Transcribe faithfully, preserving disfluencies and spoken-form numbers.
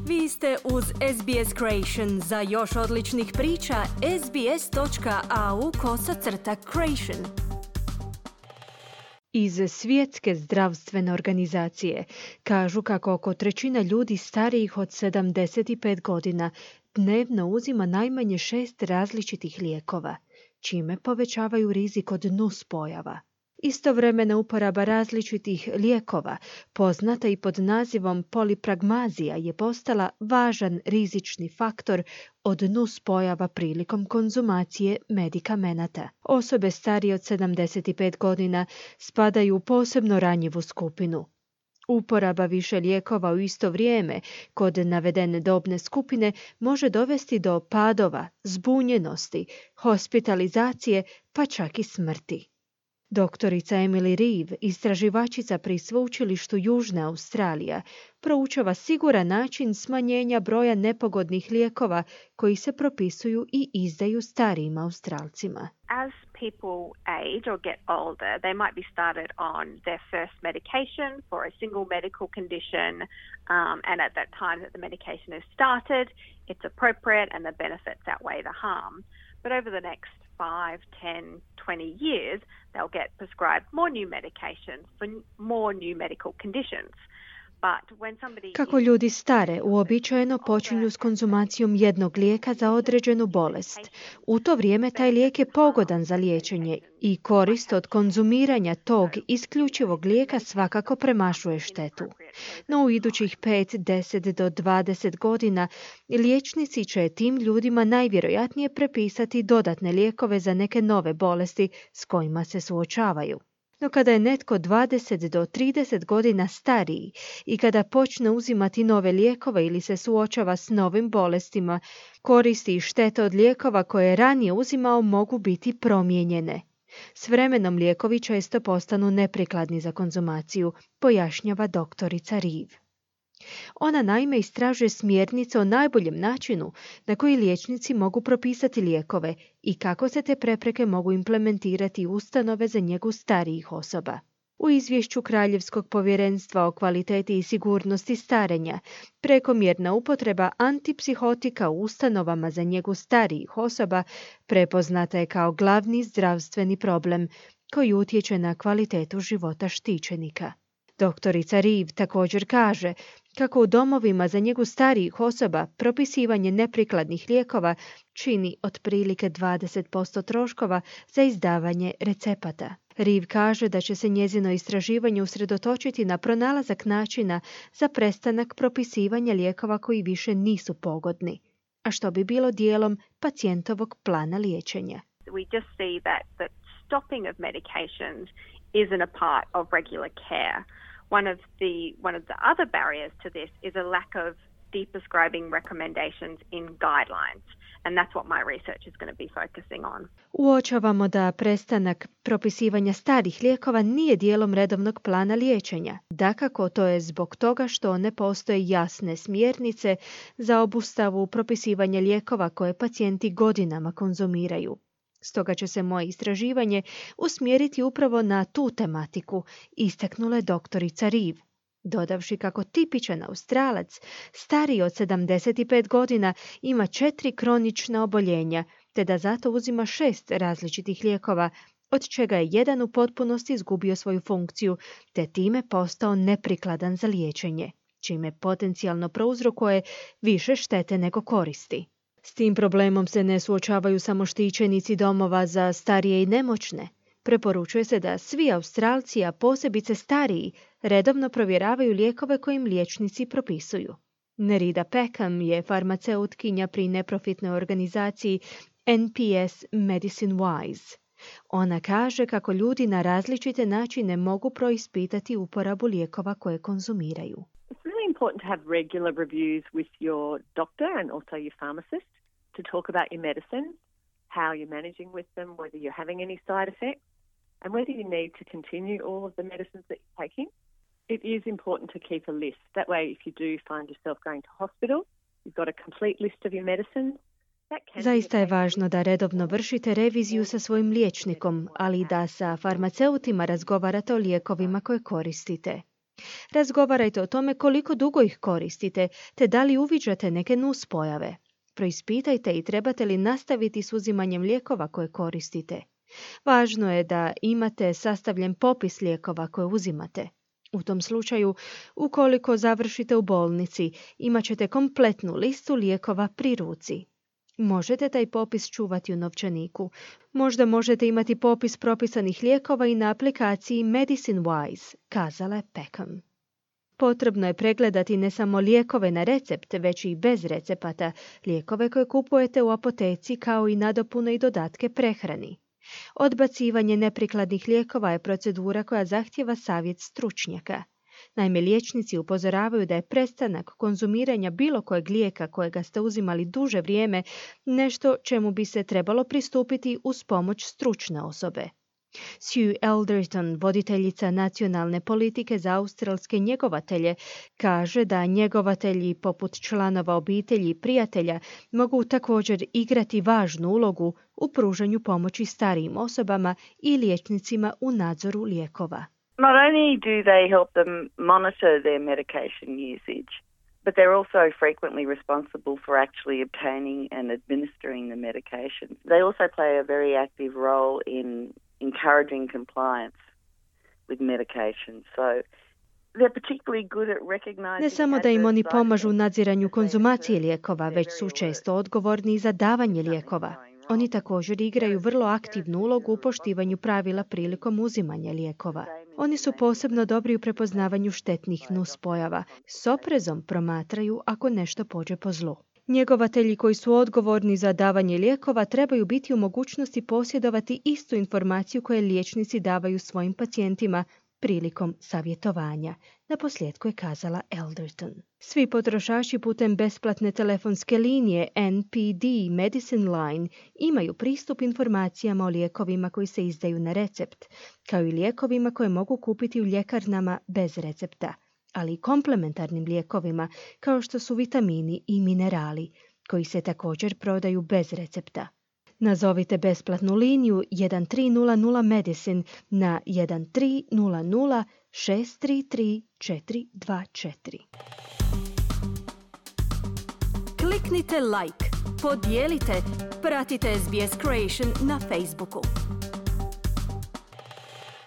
Vi ste uz S B S Creation. Za još odličnih priča, sbs.au kosacrta creation. Iz Svjetske zdravstvene organizacije kažu kako oko trećina ljudi starijih od sedamdeset pet godina dnevno uzima najmanje šest različitih lijekova, čime povećavaju rizik od nuspojava. Istovremena uporaba različitih lijekova, poznata i pod nazivom polipragmazija, je postala važan rizični faktor od nuspojava prilikom konzumacije medikamenata. Osobe starije od sedamdeset pet godina spadaju u posebno ranjivu skupinu. Uporaba više lijekova u isto vrijeme kod navedene dobne skupine može dovesti do padova, zbunjenosti, hospitalizacije, pa čak i smrti. Doktorica Emily Reeve, istraživačica pri Sveučilištu Južna Australija, proučava siguran način smanjenja broja nepogodnih lijekova koji se propisuju i izdaju starijim Australcima. As people age or get older, they might be started on their first medication for a single medical condition, um, and at that time that the medication is started, it's appropriate and the benefits outweigh the harm. But over the next five, ten, twenty years, they'll get prescribed more new medications for more new medical conditions. Kako ljudi stare, uobičajeno počinju s konzumacijom jednog lijeka za određenu bolest. U to vrijeme taj lijek je pogodan za liječenje i korist od konzumiranja tog isključivog lijeka svakako premašuje štetu. No u idućih pet, deset do dvadeset godina liječnici će tim ljudima najvjerojatnije prepisati dodatne lijekove za neke nove bolesti s kojima se suočavaju. No kada je netko dvadeset do trideset godina stariji i kada počne uzimati nove lijekove ili se suočava s novim bolestima, koristi i štete od lijekova koje je ranije uzimao mogu biti promijenjene. S vremenom lijekovi često postanu neprikladni za konzumaciju, pojašnjava doktorica Reeve. Ona naime istražuje smjernice o najboljem načinu na koji liječnici mogu propisati lijekove i kako se te prepreke mogu implementirati u ustanove za njegu starijih osoba. U izvješću Kraljevskog povjerenstva o kvaliteti i sigurnosti starenja, prekomjerna upotreba antipsihotika u ustanovama za njegu starijih osoba prepoznata je kao glavni zdravstveni problem koji utječe na kvalitetu života štićenika. Doktorica Reeve također kaže kako u domovima za njegu starijih osoba propisivanje neprikladnih lijekova čini otprilike dvadeset posto troškova za izdavanje recepata. Reeve kaže da će se njezino istraživanje usredotočiti na pronalazak načina za prestanak propisivanja lijekova koji više nisu pogodni, a što bi bilo dijelom pacijentovog plana liječenja. We just see that the stopping of medications isn't a part of regular care. One of the one of the other barriers to this is a lack of de-prescribing recommendations in guidelines, and that's what my research is going to be focusing on. Uočavamo da prestanak propisivanja starih lijekova nije dijelom redovnog plana liječenja. Dakako, to je zbog toga što ne postoje jasne smjernice za obustavu propisivanja lijekova koje pacijenti godinama konzumiraju. Stoga će se moje istraživanje usmjeriti upravo na tu tematiku, istaknula je doktorica Reeve, dodavši kako tipičan Australac, stariji od sedamdeset pet godina, ima četiri kronična oboljenja, te da zato uzima šest različitih lijekova, od čega je jedan u potpunosti izgubio svoju funkciju, te time postao neprikladan za liječenje, čime potencijalno prouzrokuje više štete nego koristi. S tim problemom se ne suočavaju samo štićenici domova za starije i nemoćne. Preporučuje se da svi Australci, a posebice stariji, redovno provjeravaju lijekove koje im liječnici propisuju. Nerida Peckham je farmaceutkinja pri neprofitnoj organizaciji N P S Medicine Wise. Ona kaže kako ljudi na različite načine mogu proispitati uporabu lijekova koje konzumiraju. It's really important to have regular reviews with your doctor and also your pharmacist to talk about your medicines, how you're managing with them, whether you're having any side effects, and whether you need to continue all of the medicines that you're taking. It is important to keep a list. That way, if you do find yourself going to hospital, you've got a complete list of your medicines. Zaista je važno da redovno vršite reviziju sa svojim liječnikom, ali i da sa farmaceutima razgovarate o lijekovima koje koristite. Razgovarajte o tome koliko dugo ih koristite, te da li uviđate neke nuspojave. Preispitajte i trebate li nastaviti s uzimanjem lijekova koje koristite. Važno je da imate sastavljen popis lijekova koje uzimate. U tom slučaju, ukoliko završite u bolnici, imat ćete kompletnu listu lijekova pri ruci. Možete taj popis čuvati u novčaniku. Možda možete imati popis propisanih lijekova i na aplikaciji Medicine Wise, kazala je Peckham. Potrebno je pregledati ne samo lijekove na recept, već i bez recepata, lijekove koje kupujete u apoteci kao i nadopune i dodatke prehrani. Odbacivanje neprikladnih lijekova je procedura koja zahtijeva savjet stručnjaka. Naime, liječnici upozoravaju da je prestanak konzumiranja bilo kojeg lijeka kojega ste uzimali duže vrijeme nešto čemu bi se trebalo pristupiti uz pomoć stručne osobe. Sue Elderton, voditeljica nacionalne politike za australske njegovatelje, kaže da njegovatelji poput članova obitelji i prijatelja mogu također igrati važnu ulogu u pružanju pomoći starijim osobama i liječnicima u nadzoru lijekova. Not only do they help them monitor their medication usage, but they're also frequently responsible for actually obtaining and administering the medication. They also play a very active role in encouraging compliance with medication. So they're particularly good at recognizing. Ne samo da im oni pomažu u nadziranju konzumacije lijekova, već su često odgovorni i za davanje lijekova. Oni također igraju vrlo aktivnu ulogu u poštivanju pravila prilikom uzimanja lijekova. Oni su posebno dobri u prepoznavanju štetnih nuspojava. S oprezom promatraju ako nešto pođe po zlu. Njegovatelji koji su odgovorni za davanje lijekova trebaju biti u mogućnosti posjedovati istu informaciju koje liječnici davaju svojim pacijentima prilikom savjetovanja. Naposljetku je kazala Elderton. Svi potrošači putem besplatne telefonske linije N P D Medicine Line imaju pristup informacijama o lijekovima koji se izdaju na recept, kao i lijekovima koje mogu kupiti u ljekarnama bez recepta, ali i komplementarnim lijekovima kao što su vitamini i minerali, koji se također prodaju bez recepta. Nazovite besplatnu liniju jedan tri nula nula Medicine na jedan tri nula nula šest tri tri četiri dva četiri. Kliknite like, podijelite, pratite S B S Creation na Facebooku.